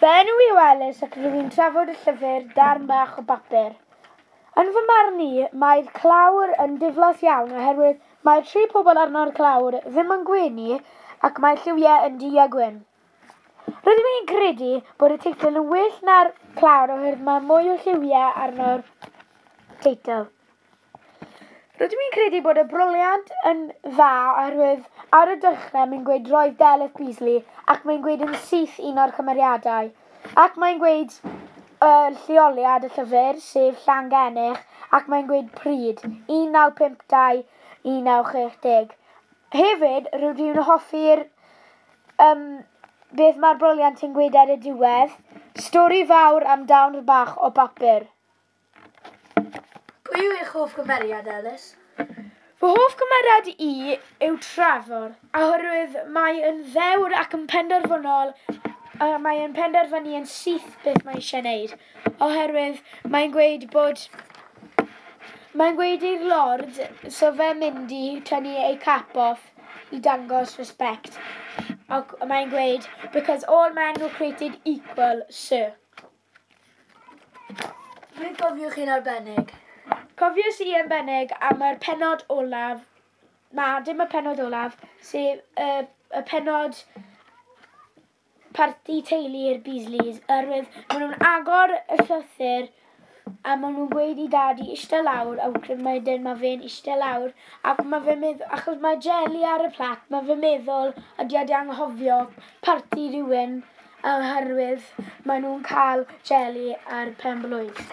Fy enw yw Elis ac rwy'n trafod y llyfr Darn Bach o Bapur. Yn fy marn i, mae'r clawr yn diflas iawn oherwydd mae'r tri pobl arno'r clawr ddim yn gwenu ac mae'r lliwiau yn du a gwyn. Rydw i'n credu bod y teitl yn well na'r clawr oherwydd mae mwy o lliwiau arno'r teitl. Rydw i'n credu bod y broliant yn dda oherwydd ar y dechrau mae'n gweud roedd Delyth Beasley ac mae'n gweud yn syth un o'r cymeriadau. Ac mae'n gweud lleoliad y llyfr, sef Llangennech, ac mae'n gweud pryd, 1952, 1960. Hefyd, rydw i'n hoffi'r beth mae'r broliant yn gweud ar y diwedd, stori fawr am darn bach o bapur. Pwy yw eich hoff gymeriad, Elis? Fy hoff gymeriad i yw Trefor, oherwydd mae yn ddewr ac yn penderfynol, mae yn penderfynu yn syth beth mae eisiau gwneud, oherwydd mae'n gweud bod mae'n gweud i'r Lord, so fe'n mynd i tynnu ei cap off i dangos respect. Ac mae'n gweud, because all men were created equal, sir. Beth gofiwch chi'n arbennig? Cofiais i yn bennig am yr pennod olaf, na, dim y pennod olaf, sef y pennod parti teulu'r Beasleys, oherwydd maen nhw'n agor y llythyr a maen nhw'n gweud i dad i eistedd lawr, a wedyn mae fe'n eistedd lawr, ac mae fe'n meddwl, achos mae jeli ar y plat, mae fe'n meddwl ydy wedi anghofio parti rhywun, oherwydd maen nhw'n cael jeli ar pen blwydd.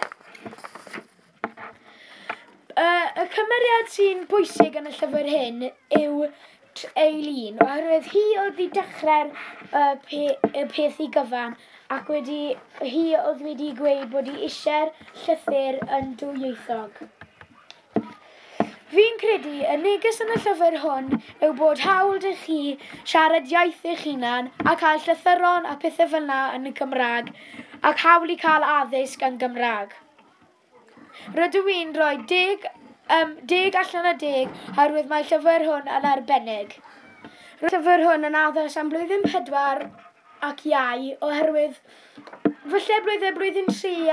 Y cymeriad sy'n bwysig yn y llyfr hyn yw Eileen, oherwydd hi oedd wedi dechrau'r y peth i gyfan ac hi oedd wedi gweud bod hi eisiau'r llythyr yn dwyieithog. Fi'n credu y neges yn y llyfr hwn yw bod hawl 'da chi siarad iaith eich hunan a cael llythyron a pethau fel 'na yn y Gymraeg ac hawl i cael addysg yn Gymraeg. Rydw i'n rhoi 10 allan o 10 oherwydd mae'r llyfr hwn yn arbennig. Roedd y llyfr hwn yn addas am blwyddyn 4 ac iau oherwydd falle blwyddyn 3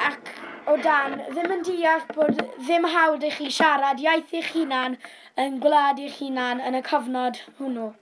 ac o dan ddim yn deall bod ddim hawl i chi siarad iaith eich hunan yn gwlad eich hunan yn y cyfnod hwnnw.